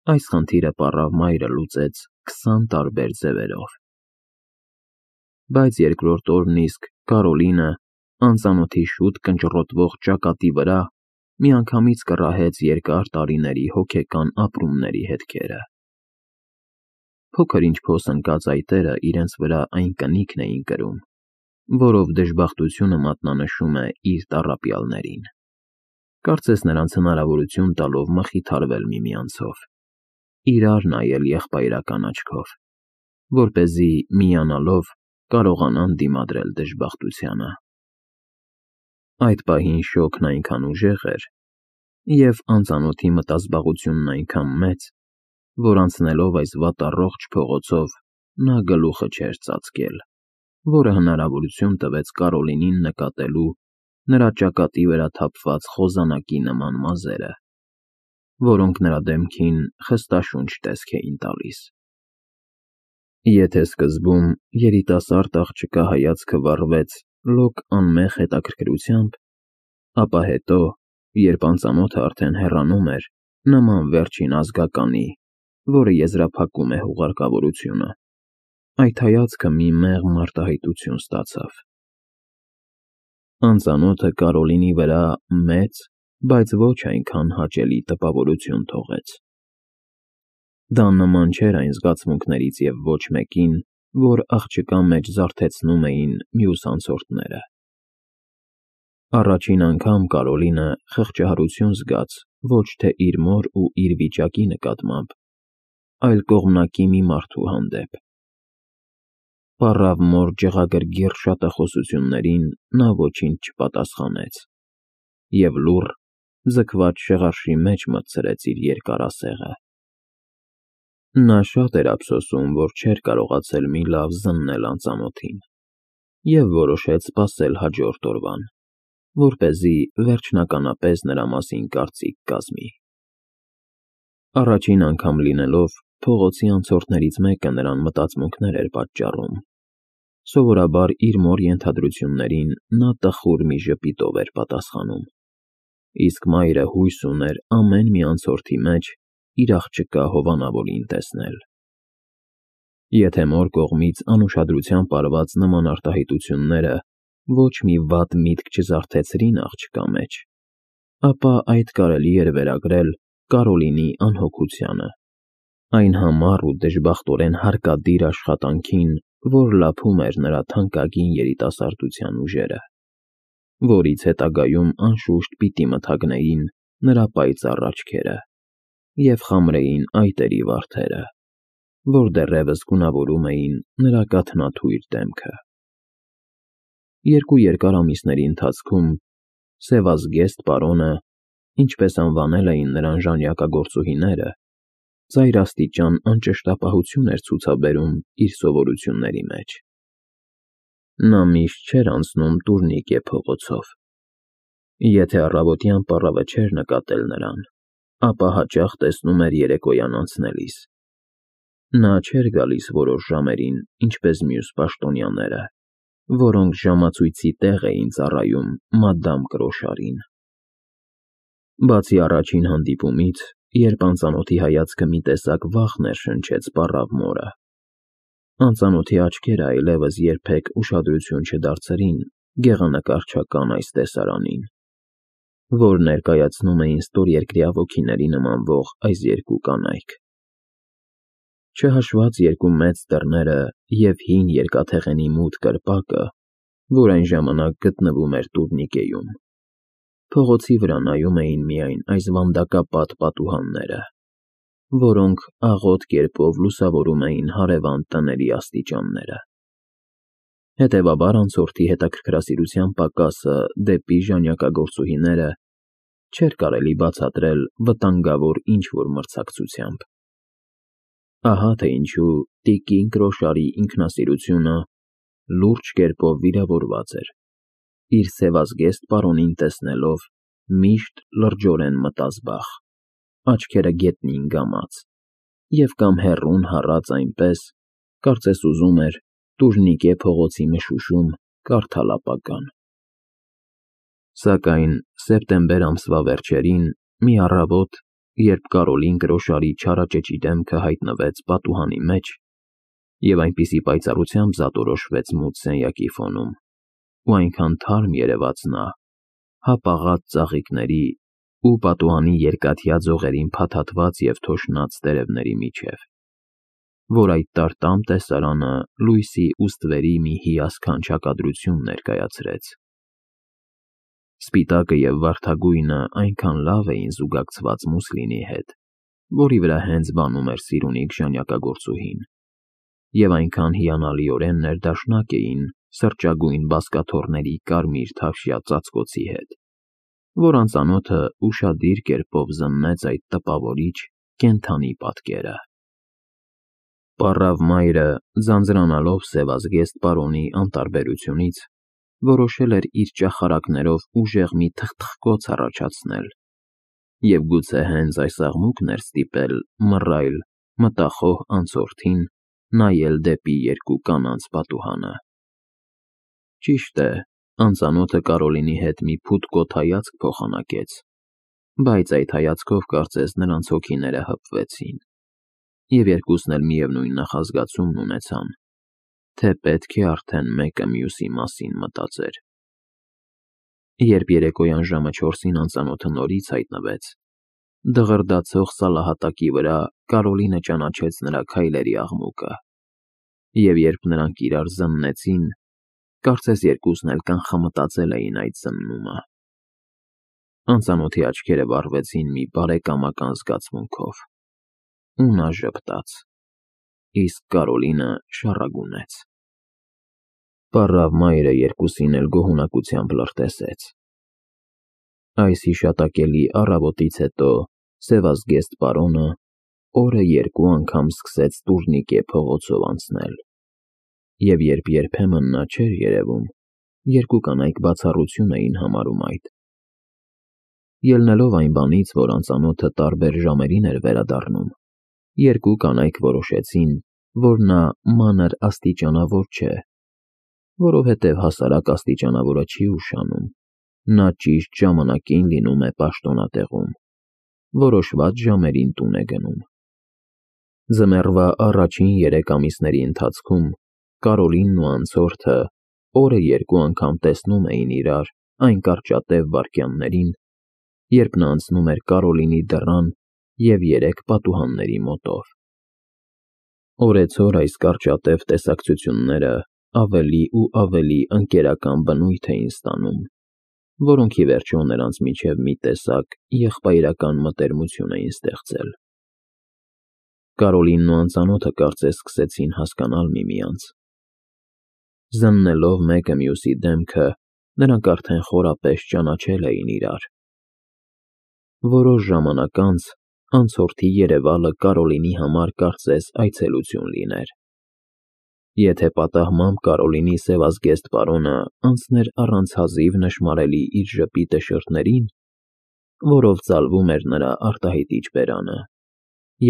Այս խնդիրը պառավ մայրը լուծեց 20 տարբեր ձևերով։ Բայց երկրորդ օրն իսկ Կարոլինը անծանոթի շուտ կնճռոտվող ճակատի վրա միանգամից կռահեց երկար տարիների հոգեկան ապրումների հետքերը։ Փոքր-ինչ փոս ընկած այտերը իրենց վրա այն կնիկն էին կրում, որով դժբախտությունը մատնանշում է իր տառապյալներին, կարծես նրանց հնարավորություն տալով մխիթարվել միմյանցով, իրար նայել եղբայրական աչքով, որպեսզի միանալով կարողանան դիմադրել դժբախտությանը։ Այդ պահին շոկն այնքան ուժեղ էր, և անծանոթի մտազբաղությունն այնքան մեծ, որ անցնելով այս վատառողջ փողոցով նա գլուխը չէր ծածկել, որը հնարավորություն տվեց Կարոլինին նկատելու նրա ճակատի վրա թափված խոզանակի նման մազերը, որոնք նրա դեմքին խստաշունչ տեսք էին տալիս։ Եթե սկզբում երիտասարդ աղջկա հայացքը վառվեց լոկ անմեղ հետաքրքրությամբ, ապա հետո, երբ անծանոթը արդեն հեռանում էր, նման վերջին ազգականի, որը եզրափակում է հուղարկավորությունը, այդ հայացքը մի մեղմ արտահայտություն ստացավ։ Անծանոթը Կարոլինի վրա մեծ, բայց ոչ այնքան հաճելի տպավորություն թողեց։ Դա նման չէր այն զգացմունքներից և ոչ մեկին, որ աղջկա մեջ զարթեցնում էին մյուս անցորդները։ Առաջին անգամ Կարոլինը խղճահարություն զգաց ոչ թե իր մոր ու իր վիճակի նկատմամբ, այլ կողմնակի մի մարդու հանդեպ։ Պառավ մոր ջղագրգիռ շատախոսություններին նա ոչինչ չպատասխանեց և լուռ, ձգված շեղարշի մեջ մտցրեց իր երկար ասեղը։ Նա շատ էր ափսոսում, որ չէր կարողացել մի լավ զննել անծանոթին, և որոշեց սպասել հաջորդ օրվան, որպեսզի վերջնականապես նրա մասին կարծիք կազմի։ Առաջին անգամ լինելով, փողոցի անցորդներից մեկը նրան մտածմունքներ էր պատճառում։ Սովորաբար իր մոր ենթադրություններին նա տխուր մի ժպիտով էր պատասխանում, իսկ մայրը հույս ուներ ամեն մի անցորդի մեջ իր աղջկա հովանավորին տեսնել։ Եթե մոր կողմից անուշադրությամբ արված նման արտահայտությունները ոչ մի վատ միտք չզարթեցրին աղջկա մեջ, ապա այդ կարելի էր վերագրել Կարոլինի անհոգությանը, այն համառ ու դժբախտորեն հարկադիր աշխատանքին, որ լափում էր նրա թանկագին երիտասարդության ուժերը, որից հետագայում անշուշտ պիտի մթագնեին նրա պայծառ աչքերը և խամրեին այտերի վարդերը, որ դեռևս գունավորում էին նրա կաթնաթույր դեմքը։ Երկու երկար ամիսների ընթացքում սևազգեստ պարոնը, ինչպես անվանել էին նրան ժանյակագործուհիները, ծայրաստիճան անճշտապահություն էր ցուցաբերում իր սովորությունների մեջ։ Նա միշտ չէր անցնում տուրնիկե փողոցով։ Եթե առավոտյան պառավը չէր նկատել նրան, ապա հաճախ տեսնում էր երեկոյան անցնելիս։ Նա չէր գալիս որոշ ժամերին, ինչպես մյուս պաշտոնյաները, որոնք ժամացույցի տեղ էին ծառայում մադամ Կրոշարին։ Բացի առաջին հանդիպումից, երբ անծանոթի հայացքը մի տեսակ վախ ներշնչեց պառավ մորը, անծանոթի աչքերը այլևս երբեք ուշադրություն չդարձրին գեղանկարչական այս տեսարանին, որ ներկայացնում էին ստորերկրյա ոգիների նմանվող այս երկու կանայք։ Չհաշված երկու մեծ դռները և հին երկաթեղենի մութ կրպակը, որ այն ժամանակ գտնվում էր տուրնիկեում, փողոցի վրա նայում էին միայն այս վանդակապատ պատուհանները, որոնք աղոտ կերպով լուսավորում էին հարևան տների աստիճանները։ Հետևաբար անցորդի հետաքրքրասիրության պակասը դեպի ժանյակագործուհիները չէր կարելի բացատրել վտանգավոր ինչ-որ մրցակցությամբ։ Ահա թե ինչու տիկին Կրոշարի ինքնասիրությունը լուրջ կերպով վիրավորված էր, իր սևազգեստ պարոնին տեսնելով միշտ լրջորեն մտազբաղ, աչքերը գետնին կամած և կամ հեռուն հառած այնպես, կարծես ուզում էր տուրնիկե փողոցի մշուշում կարդալ ապագան։ Սակայն սեպտեմբեր ամսվա վերջերին մի առավոտ երբ Կարոլին կրոշարի չարաճճի դեմքը հայտնվեց պատուհանի մեջ և այնպիսի պայծառությամբ զատորոշվեց մութ սենյակի ֆոնում, ու այնքան թարմ երևաց նա, հապաղած ծաղիկների ու պատուհանի երկաթյա ձողերին փաթաթված և թոշնած տերևների միջև, որ այդ տարտամ տեսարանը լույսի ու ստվերի մի հիասքանչ հակադրություն ներկայացրեց։ Սպիտակը և վարդագույնը այնքան լավ էին զուգակցված մուսլինի հետ, որի վրա հենց բանում էր Սիրունիկ ժանյակագործուհին, և այնքան հիանալիորեն ներդաշնակ էին սրճագույն բազկաթոռների կարմիր թավշյա ծածկոցի հետ, որ անծանոթը ուշադիր կերպով զննեց այդ տպավորիչ կենդանի պատկերը։ Պառավ մայրը, ձանձրանալով սևազգեստ պարոնի անտարբերությունից, որոշել էր իր ճախարակներով ուժեղ մի թխթխկոց առաջացնել և գուցե հենց այս աղմուկն էր ստիպել մռայլ, մտախոհ անցորդին նայել դեպի երկու կանանց պատուհանը։ Ճիշտ է, անծանոթը Կարոլինի հետ մի փութկոտ հայացք փոխանակեց, բայց այդ հայացքով կարծես նրանց հոգիները հպվեցին, և երկուսն էլ միևնույն նախազգացումն ունեցան, թե պետք է արդեն մեկը մյուսի մասին մտածեր։ Երբ երեկոյան ժամը 4-ին անծանոթը նորից հայտնվեց, դղրդացող սալահատակի վրա Կարոլինը ճանաչեց նրա քայլերի աղմուկը, և երբ նրանք իրար զննեցին, կարծես երկուսն էլ կանխամտածել էին այդ զննումը։ Անծանոթի աչքերը վառվեցին մի բարեկամական զգացմունքով, ու նա ժպտաց, իսկ Կարոլինը շառագունեց։ Պառավ մայրը երկուսին էլ գոհունակությամբ լրտեսեց։ Այս հիշատակելի առավոտից հետո սևազգեստ պարոնը օրը երկու անգամ սկսեց տուրնիկե փողոցով անցնել, և երբ երբեմն նա չէր երևում, երկու կանայք բացառություն էին համարում այդ։ Ելնելով այն բանից, որ անծանոթը տարբեր ժամերին էր վերադառնում, երկու կանայք որոշեցին, որ նա մանր աստիճանավոր չէ, որովհետև հասարակ աստիճանավորը չի ուշանում, նա ճիշտ ժամանակին լինում է պաշտոնատեղում, որոշված ժամերին տուն է գնում։ Ձմեռվա առաջին 3 ամիսների ընթացքում Կարոլինն ու անցորդը օրը երկու անգամ տեսնում էին իրար այն կարճատև վայրկյաններին, երբ նա անցնում էր Կարոլինի դռան և 3 պատուհանների մոտով։ Օրեցօր այս կարճատև տեսակցությունները ավելի ու ավելի ընկերական բնույթ էին ստանում, որոնք ի վերջո նրանց միջև մի տեսակ եղբայրական մտերմություն էին ստեղծել։ Կարոլինն ու անծանոթը կարծես սկսեցին հասկանալ միմյանց։ Զննելով մեկը մյուսի դեմքը, նրանք արդեն խորապես ճանաչել էին իրար։ Որոշ ժամանակ անց անցորդի երևալը Կարոլինի համար կարծես այցելություն լիներ։ Եթե պատահմամբ Կարոլինի սևազգեստ պարոնը անցներ առանց հազիվ նշմարելի իր ժպիտը շրթներին, որով ծալվում էր նրա արտահայտիչ բերանը,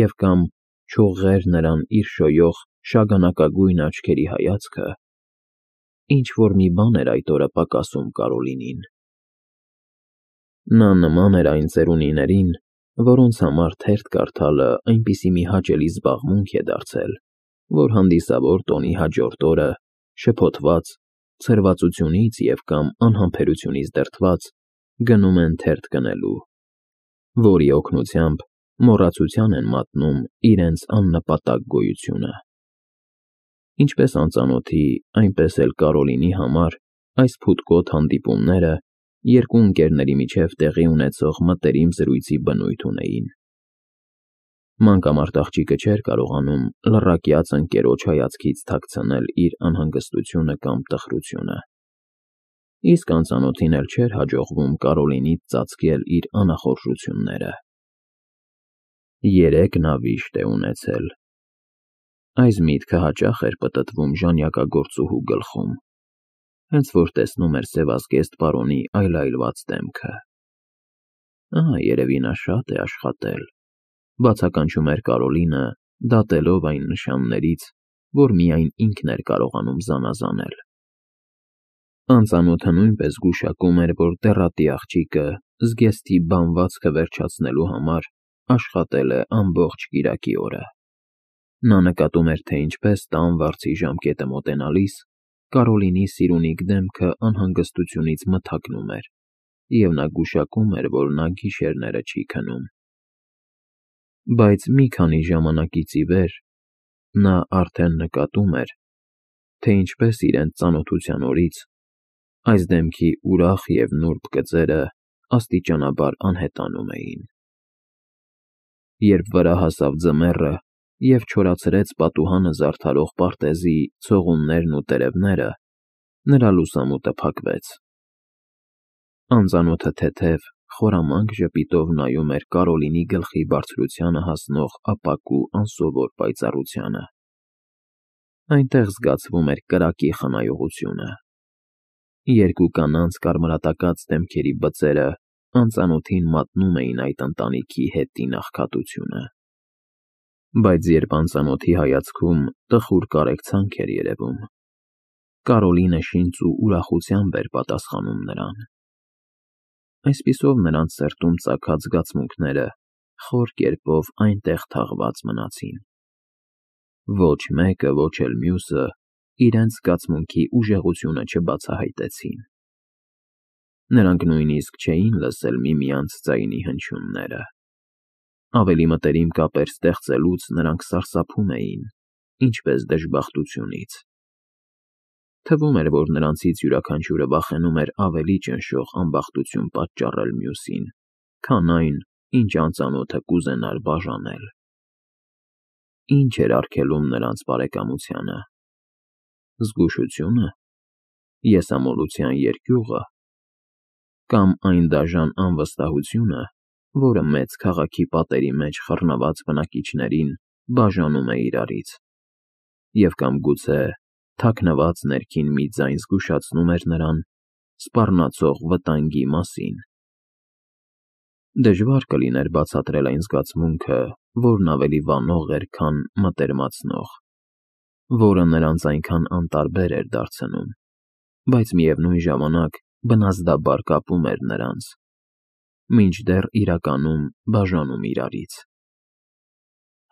և կամ չուղղեր նրան իր շոյող շագանակագույն աչքերի հայացքը, ինչ-որ մի բան էր այդ օրը պակասում Կարոլինին։ Նա նման էր այն ծերունիներին, որոնց համար թերթ կարդալը այնպիսի մի հաճելի զբաղմունք է դարձել, որ հանդիսավոր տոնի հաջորդ օրը, շփոթված, ցրվածությունից և կամ անհամբերությունից դրդված, գնում են թերթ գնելու, որի օգնությամբ մոռացության են մատնում իրենց աննպատակ գոյությունը։ Ինչպես անծանոթի, այնպես էլ Կարոլինի համար այս փութկոտ հանդիպումները երկու ընկերների միջև տեղի ունեցող մտերիմ զրույցի բնույթ ունեին։ Մանկամարտ աղջիկը չէր կարողանում լռակյաց ընկերոջ հայացքից թաքցնել իր անհանգստությունը կամ տխրությունը, իսկ անծանոթին էլ չէր հաջողվում Կարոլինից ծածկել իր անախորժությունները։ 3 նա վիշտ է ունեցել։ Այս միտքը հաճախ էր պտտվում ժանյակագործուհու գլխում, հենց որ տեսնում էր սևազգեստ պարոնի այլայլված դեմքը։ Երևի նա շատ է աշխատել, բացականչում էր Կարոլինը, դատելով այն նշաններից, որ միայն ինքն էր կարողանում զանազանել։ Անծանոթը նույնպես գուշակում էր, որ դեռատի աղջիկը զգեստի բանվածքը վերջացնելու համար աշխատել է ամբողջ կիրակի օրը։ Նա նկատում էր, թե ինչպես տան վարձի ժամկետը մոտենալիս Կարոլինի սիրունիկ դեմքը անհանգստությունից մթագնում էր, և նա գուշակում էր, որ նա գիշերները չի քնում։ Բայց մի քանի ժամանակից ի վեր նա արդեն նկատում էր, թե ինչպես իրենց ծանոթության օրից այս դեմքի ուրախ և նուրբ գծերը աստիճանաբար անհետանում էին։ Երբ վրա հասավ ձմեռը և չորացրեց պատուհանը զարդարող պարտեզի ցողուններն ու տերևները, նրա լուսամուտը փակվեց։ Անծանոթը թեթև, խորամանկ ժպիտով նայում էր Կարոլինի գլխի բարձրությանը հասնող ապակու անսովոր պայծառությանը։ Այնտեղ զգացվում էր կրակի խնայողությունը։ Երկու կանանց կարմրատակած դեմքերի բծերը անծանոթին մատնում էին այդ ընտանիքի հետին աղքատությունը։ Բայց երբ անծանոթի հայացքում տխուր կարեկցանք էր երևում, Կարոլինը շինծ ու ուրախությամբ էր պատասխանում նրան։ Այսպիսով նրանց սրտում ծագած զգացմունքները խոր կերպով այնտեղ թաղված մնացին։ Ոչ մեկը, ոչ էլ մյուսը իրենց զգացմունքի ուժեղությունը չբացահայտեցին։ Նրանք նույնիսկ չէին լսել միմյանց ձայնի հնչյունները։ Ավելի մտերիմ կապեր ստեղծելուց նրանք սարսափում էին, ինչպես դժբախտությունից։ Թվում էր, որ նրանցից յուրաքանչյուրը վախենում էր ավելի ճնշող ամբախտություն պատճառել մյուսին, քան այն, ինչ անծանոթը կուզենար բաժանել։ Ինչ էր արգելում նրանց բարեկամությանը։ Զգուշությունը, եսամոլության երկյուղը, կամ այն դաժան անվստահությունը, որը մեծ քաղաքի պատերի մեջ խռնված բնակիչներին բաժանում է իրարից, և կամ գուցե թաքնված ներքին մի ձայն զգուշացնում էր նրան սպառնացող վտանգի մասին։ Դժվար կլիներ բացատրել այն զգացմունքը, որն ավելի վանող էր, քան մտերմացնող, որը նրանց այնքան անտարբեր էր դարձնում, բայց միևնույն ժամանակ բնազդաբար կապում էր նրանց, մինչդեռ իրականում բաժանում իրարից։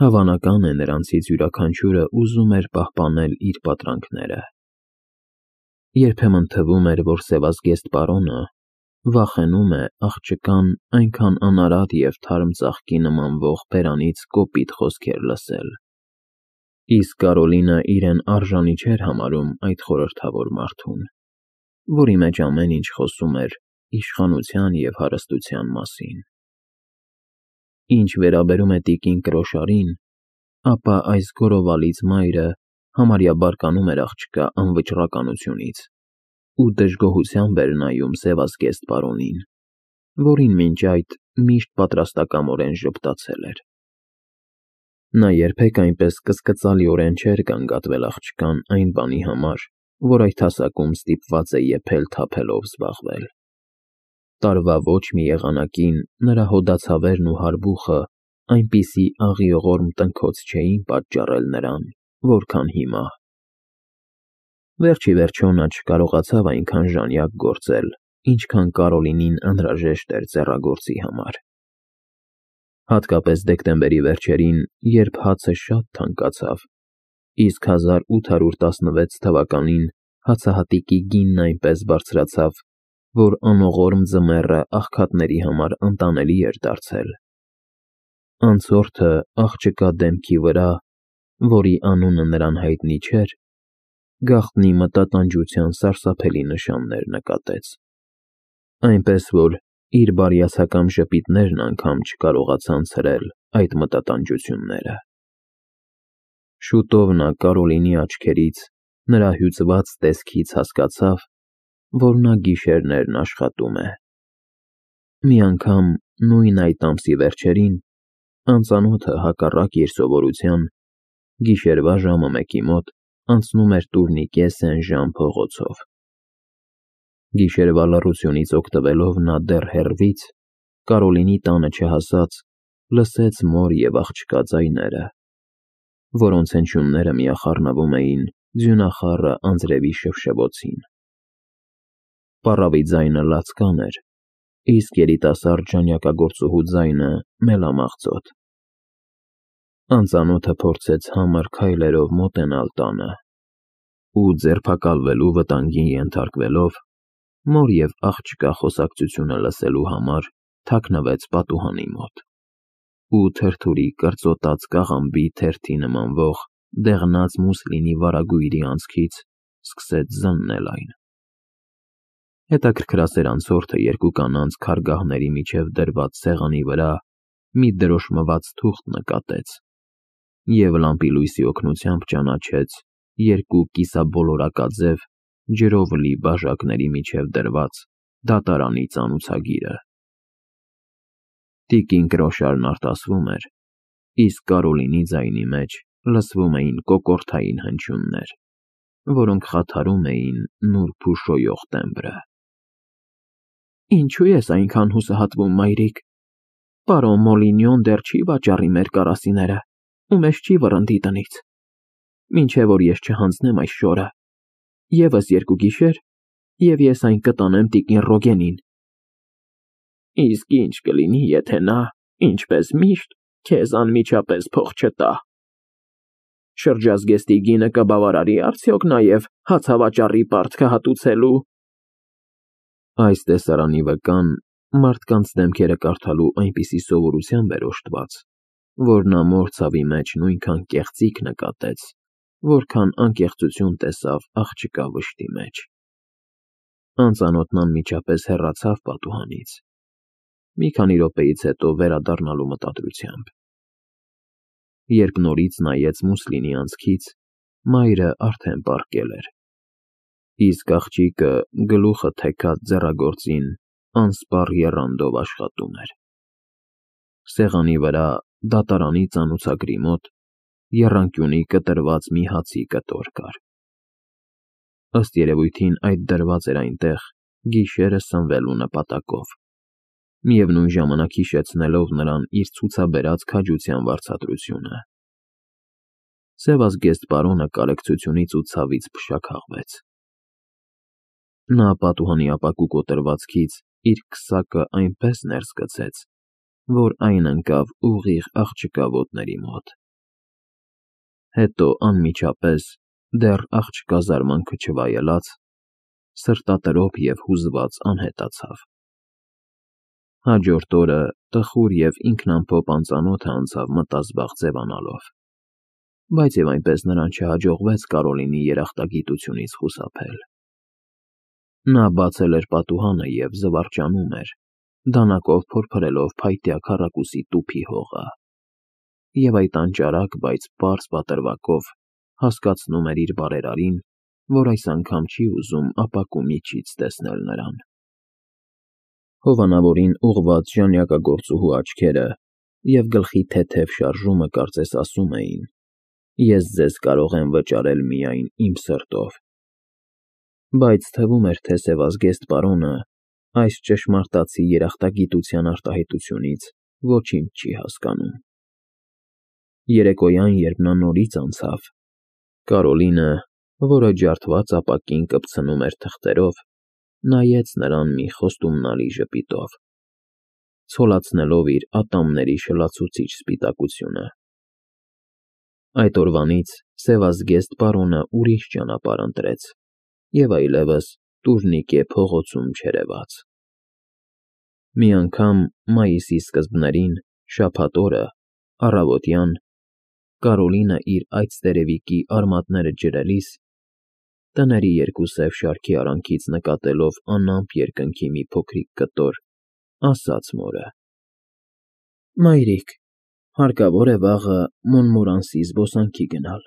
Հավանական է, նրանցից յուրաքանչյուրը ուզում էր պահպանել իր պատրանքները։ Երբեմն թվում էր, որ սևազգեստ պարոնը վախենում է աղջկան այնքան անարատ և թարմ ծաղկի նմանվող բերանից կոպիտ խոսքեր լսել, իսկ Կարոլինը իրեն արժանի չէր համարում այդ խորհրդավոր մարդուն, որի մեջ ամեն ինչ խոսում էր իշխանության և հարստության մասին։ Ինչ վերաբերում է տիկին Կրոշարին, ապա այս գորովալից մայրը համարյա բարկանում էր աղջկա անվճռականությունից ու դժգոհությամբ էր նայում սևազգեստ պարոնին, որին մինչ այդ միշտ պատրաստակամորեն ժպտացել էր։ Նա երբեք այնպես կսկծալիորեն չէր գանգատվել աղջկան այն բանի համար, որ այդ հասակում ստիպված է եփել-թափելով զբաղվել։ Տարվա ոչ մի եղանակին նրա հոդացավերն ու հարբուխը այնպիսի աղիողորմ տնքոց չէին պատճառել նրան, որքան հիմա։ Վերջիվերջո նա չկարողացավ այնքան ժանյակ գործել, ինչքան Կարոլինին անհրաժեշտ էր ձեռագործի համար։ Հատկապես դեկտեմբերի վերջերին, երբ հացը շատ թանկացավ, իսկ 1816 թվականին հացահատիկի գինն այնպես բարձրացավ, որ անողորմ ձմեռը աղքատների համար անտանելի էր դարձել։ Անցորդը աղջկա դեմքի վրա, որի անունը նրան հայտնի չէր, գաղտնի մտատանջության սարսափելի նշաններ նկատեց, այնպես որ իր բարյացակամ ժպիտներն անգամ չկարողացան ցրել այդ մտատանջությունները։ Շուտով նա Կարոլինի աչքերից, նրա հյուծված տեսքից հասկացավ, որ նա գիշերներն աշխատում է։ Մի անգամ նույն այդ ամսի վերջերին անծանոթը հակառակ իր սովորության գիշերվա ժամը 1-ի մոտ անցնում էր տուրնիկե Սեն-Ժան փողոցով։ Գիշերվա լռությունից օգտվելով նա դեռ հեռվից, Կարոլինի տանը չհասած, լսեց մոր և աղջկա ձայները, որոնց հնչյունները միախառնվում էին իսկ երիտասարդ ժանյակագործուհու ձայնը մելամաղձոտ։ Անծանոթը փորձեց համր քայլերով մոտենալ տանը ու ձերբակալվելու վտանգին ենթարկվելով մոր և աղջկա խոսակցությունը լսելու համար թաքնվեց պատուհանի մոտ ու թրթուրի կրծոտած կաղամբի թերթի նմանվող դեղնած մուսլինի վարագույրի անցքից սկսեց զննել այն։ Հետաքրքրասեր անցորդը երկու կանանց քարգահների միջև դրված սեղանի վրա մի դրոշմված թուղթ նկատեց և լամպի լույսի օգնությամբ ճանաչեց երկու կիսաբոլորակաձև ջրով լի բաժակների միջև դրված դատարանի ծանուցագիրը։ Տիկին Կրոշարն արտասվում էր, իսկ Կարոլինի ձայնի մեջ լսվում էին կոկորդային հնչյուններ, որոնք խաթարում էին նուրբ ու շոյող տեմբրը։ Ինչու ես այնքան հուսահատվում, մայրիկ։ Պարոն Մոլինյոն դեռ չի վաճառի մեր կարասիները ու մեզ չի վռնդի տնից, մինչև որ ես չհանձնեմ այս շորը։ Եվս 2 գիշեր, և ես այն կտանեմ տիկին Ռոգենին։ Իսկ ինչ կլինի, եթե նա, ինչպես միշտ, քեզ անմիջապես փող չտա։ Շրջազգեստի գինը կբավարարի արդյոք նաև հացավաճառի պարտքը հատուցելու։ Այս տեսարանի վկան մարդկանց դեմքերը կարդալու այնպիսի սովորությամբ էր օժտված, որ նա մոր ցավի մեջ նույնքան կեղծիք նկատեց, որքան անկեղծություն տեսավ աղջկա վշտի մեջ։ Անծանոթն անմիջապես հեռացավ պատուհանից, մի քանի րոպեից հետո վերադառնալու մտադրությամբ։ Երբ նորից նայեց մուսլինի անցքից, մայրը արդեն պառկել էր, իսկ աղջիկը գլուխը թեքած ձեռագործին անսպառ եռանդով աշխատում էր։ Սեղանի վրա դատարանի ծանուցագրի մոտ եռանկյունի կտրված մի հացի կտոր կար։ Ըստ երևույթին այդ դրված էր այնտեղ գիշերը սնվելու նպատակով, միևնույն ժամանակ հիշեցնելով նրան իր ցուցաբերած քաջության վարձատրությունը։ Սևազգեստ պարոնը կարեկցությունից ու ցավից փշաքաղվեց։ Նա պատուհանի ապակու կոտրվածքից իր քսակը այնպես ներս գցեց, որ այն ընկավ ուղիղ աղջկա ոտների մոտ։ Հետո անմիջապես, դեռ աղջկա զարմանքը չվայելած, սրտատրոփ և հուզված անհետացավ։ Հաջորդ օրը տխուր և ինքնամփոփ անծանոթը անցավ մտազբաղ ձևանալով, բայց և այնպես նրան չհաջողվեց Կարոլինի երախտագիտությունից խուսափել։ Նա բացել էր պատուհանը և զվարճանում էր, դանակով փորփրելով փայտյա քառակուսի տուփի հողը, և այդ անճարակ, բայց պարզ պատրվակով հասկացնում էր իր բարերարին, որ այս անգամ չի ուզում ապակու միջից տեսնել նրան։ Հովանավորին ուղղված ժանյակագործուհու աչքերը և գլխի թեթև շարժումը կարծես ասում էին. «Ես ձեզ կարող եմ վճարել միայն իմ սրտով»։ Բայց թվում էր, թե սևազգեստ պարոնը այս ճշմարտացի երախտագիտության արտահայտությունից ոչինչ չի հասկանում։ Երեկոյան, երբ նա նորից անցավ, Կարոլինը, որը ջարդված ապակին կպցնում էր թղթերով, նայեց նրան մի խոստումնալի ժպիտով, ցոլացնելով իր ատամների շլացուցիչ սպիտակությունը։ Այդ օրվանից սևազգեստ պարոնը ուրիշ ճանապարհ ընտրեց և այլևս տուժնիկե փողոցում չերևաց։ Մի անգամ մայիսի սկզբներին, շաբաթ օրը, առավոտյան, Կարոլինը իր այծտերևիկի արմատները ջրելիս, տների երկու սև շարքի արանքից նկատելով անամպ երկնքի մի փոքրիկ կտոր, ասաց մորը. «Մայրիկ, հարկավոր է վաղը Մոնմորանսի զբոսանքի գնալ»։